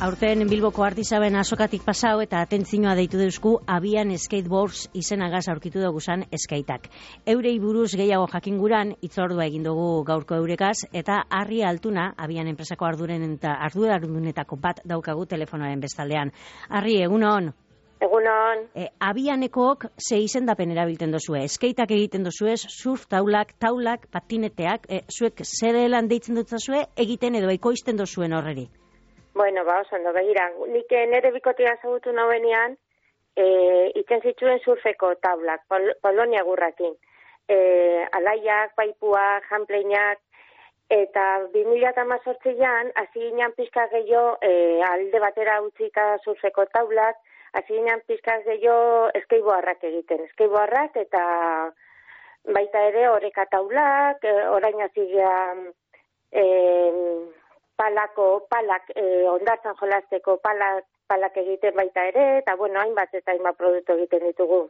Aurten Bilboko Artisaben azokatik pasau eta atentzioa deitu deusku abian skateboards izenagaz aurkitu dugu zan skaitak. Eurei buruz gehiago jakinguran itzordua egin dugu gaurko eurekaz eta Harri Altuna abian enpresako arduradunetako bat daukagu telefonoaren bestaldean. Harri, egunon? Egunon. Abianekook ze izendapen erabilten dozue? Skaitak egiten dozuez, surf taulak, patineteak, zuek zerelan deitzen dutzazue egiten edo ekoizten dozuen horreri? Bueno, oso ondo, begira, nik nere bikotea zagutu nauenean, itzen zituen surfeko taulak, Polonia gurrakin. Alaiak, paipuak, jampleinak, eta 2018an, hasi ginen pizka gehiago, alde batera utzika surfeko taulak, hasi ginen pizka gehiago eskeiboarrak egiten. Eskeiboarrak eta baita ere oreka taulak, orain hasi gehan, palak, ondartzan jolasteko palak egiten baita ere, eta bueno, hainbat produktu egiten ditugu.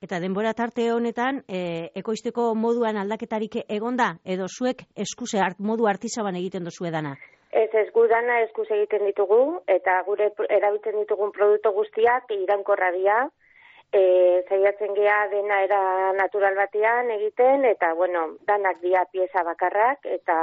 Eta denbora tarte honetan, ekoizteko moduan aldaketarik egonda, edo zuek eskuse modu artisaban egiten dozue dana? Ez gudana eskuz egiten ditugu, eta gure erabiltzen ditugun produktu guztiak iraunkorra dira, zaiatzen gea dena era natural batean egiten, eta bueno, danak dira pieza bakarrak, eta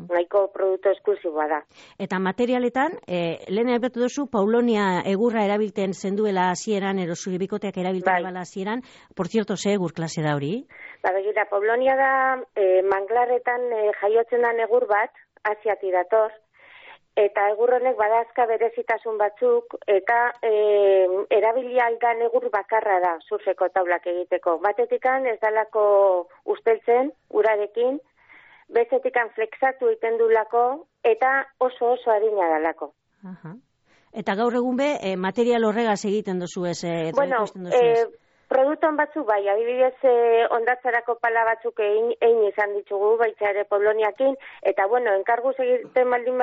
nahiko produktu esklusiboa da. Eta materialetan, lehen aipatu duzu, Paulonia egurra erabilten zenduela hasieran, edo zure bikoteak erabilten bala hasieran, por cierto, ze egur klase da hori? Begira, Paulonia da manglarretan jaiotzen da egur bat, Asiati dator, eta egur honek badazka berezitasun batzuk, eta erabili aldan egur bakarra da surfeko taulak egiteko. Batetikan ez dalako usteltzen, urarekin, bezetikan flexatu egiten dulako, eta oso harina dalako. Eta gaur egun be, material horregaz egiten dozu ez? Bueno, produkton batzuk bai, adibidez ondatzarako pala batzuk egin izan ditugu, baita ere Poloniakin, eta bueno, enkargatzen baldin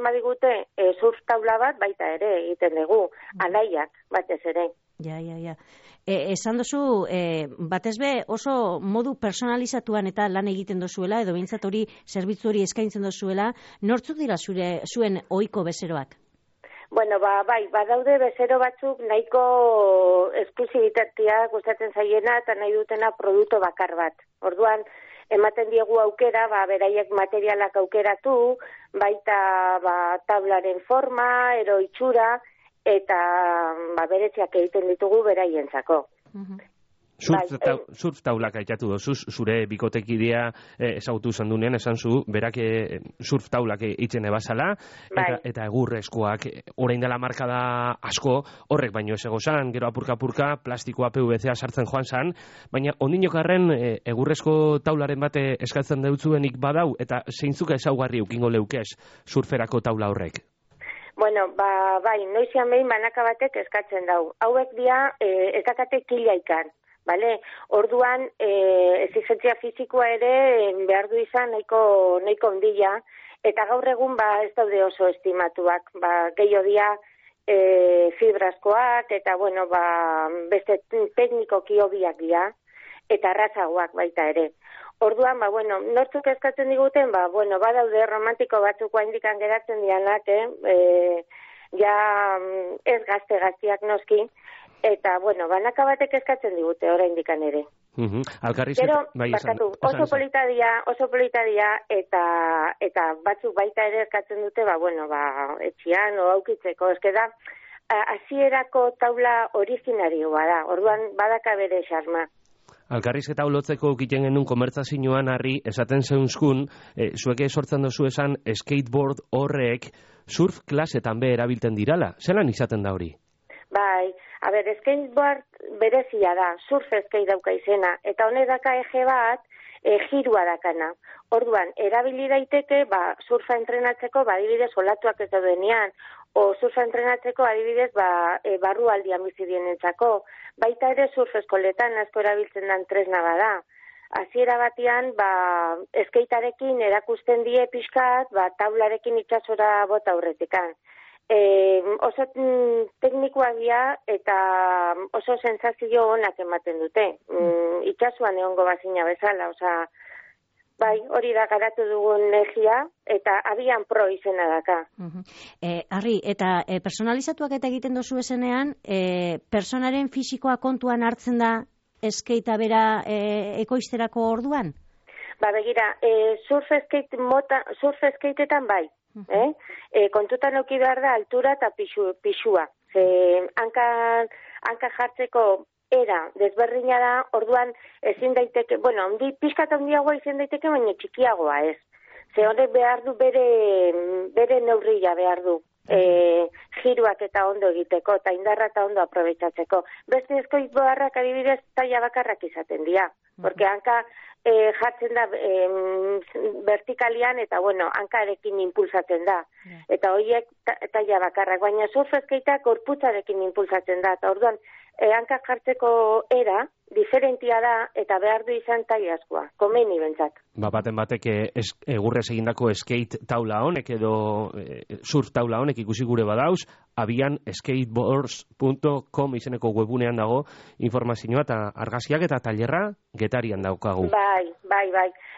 badigute surf taula bat baita ere egiten dugu, alaiak batez ere. Ja. Esan dozu, batez be oso modu personalizatuan eta lan egiten dozuela, edo behintzat hori zerbitzu hori eskaintzen dozuela, nortzuk dira zuen ohiko bezeroak? Bueno, bai, badaude bezero batzuk nahiko esklusibitatea gustatzen zaiena eta nahi dutena produktu bakar bat. Orduan, ematen diegu aukera, beraiek materialak aukeratu, baita tablaren forma, ero itxura, eta beretziak egiten ditugu beraientzako. Surf taulak aitatu dozuz, zure bikotekidea ezagutu zandunean, esan zu, berak surf taulak itzen ebazala, eta egurrezkoak, orain dela markada asko, horrek baino ez egozan, gero apurka, plastikoa PVC-a sartzen joan zan, baina ondinokarren egurrezko taularen bate eskatzen deutzuenik badau, eta zeintzuka ezaugarri ukingo leukez surferako taula horrek? Bueno, bai, noizian behin banaka batek eskatzen dau. Hauek dira, ez dakate kilaikan. Vale, orduan exigentzia fizikoa ere behar du izan nahiko ondila, eta gaur egun ez daude oso estimatuak, gehiago dira fibraskoak, eta bueno, beste teknikoki hobiak dira, eta errazagoak baita ere. Orduan, nortzuk eskatzen diguten, badaude romantiko batzuk indikan geratzen dianak, ja ez gazteak noski, eta, banaka batek eskatzen digute, oraindik ere. Gero, oso polita dia, eta batzuk baita ere eskatzen dute, etxian, aukitzeko, da, hasierako taula originarioa da, orduan badaka bere xarma. Alkarrizketa ulotzeko egiten genuen konbertsazioan, Harri, esaten zeunzkun, zueke sortzen dozu esan skateboard horrek surf klasetan be erabilten dirala. Zelan izaten da hori? Bai, skateboard berezia da, surf skate dauka izena, eta honek daka eje bat, jirua dakana. Orduan, erabili daiteke, surfa entrenatzeko, adibidez, olatuak ez daudenean, o surfa entrenatzeko, adibidez, barrualdian bizidienentzako. Baita ere surf eskoletan asko erabiltzen den tresna bada. Hasiera batean, skatearekin erakusten die pixkat, taularekin itsasora bota aurretikan. Oso teknikoak dira eta oso sensazio onak ematen dute. Itxasuan egongo bazina bezala, Bai, hori da garatu dugun legia, eta abian pro izena daka. Arri, eta personalizatuak eta egiten dozu esenean, personaren fisikoa kontuan hartzen da eskeita bera ekoizterako orduan? Ba, begira, surf skateetan bai. Kontutan euki behar da altura eta pixua. Hanka jartzeko era desberdina da, orduan ezin daiteke, bueno, pixkat handiagoa izan daiteke, baina txikiagoa ez. Ze horrek behar du bere neurria behar du. Giruak eta ondo egiteko, eta indarra eta ondo aprobetsatzeko. Beste skateboardak adibidez taila bakarrak izaten dira. Porque hanka jartzen da vertikalian eta, bueno, hankarekin impulsatzen da. Eta horiek taila bakarrak, baina surf skateak gorputzarekin impulsatzen da. Eta orduan, hanka jartzeko era diferentia da eta behar du izan taila askoa, komeni bentsat. Baten batek egurrez egindako skate taula honek edo surf taula honek ikusi gure badauz, abian skateboards.com izeneko webunean dago informazioa eta argazkiak eta tailerra Getarian daukagu. Bai.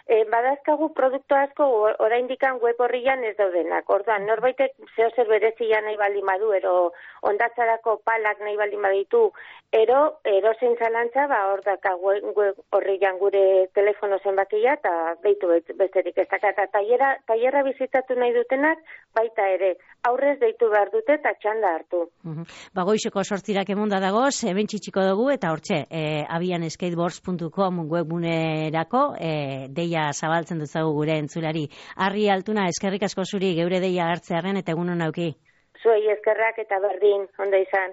Badazkagu produktu asko oraindikan web horrian ez daudenak. Orduan, norbaitek zeozer berezia nahi baldin badu, ero ondatzarako palak nahi baldin baditu, erozein zalantza, hor daka web horrian gure telefono zenbakia eta deitu besterik ez daka. Eta tailerra bizitatu nahi dutenak, baita ere, aurrez deitu behar dute eta txanda hartu. Goizeko 8 emonda dagoz, hemen txitsiko dugu, eta hortxe, abianskateboards.com webunerako, deia zabaltzen dutzagu gure entzulari. Arri Altuna, eskerrik asko zuri geure deia hartzearen eta egun hon auki. Zuei eskerrak eta berdin, onda izan.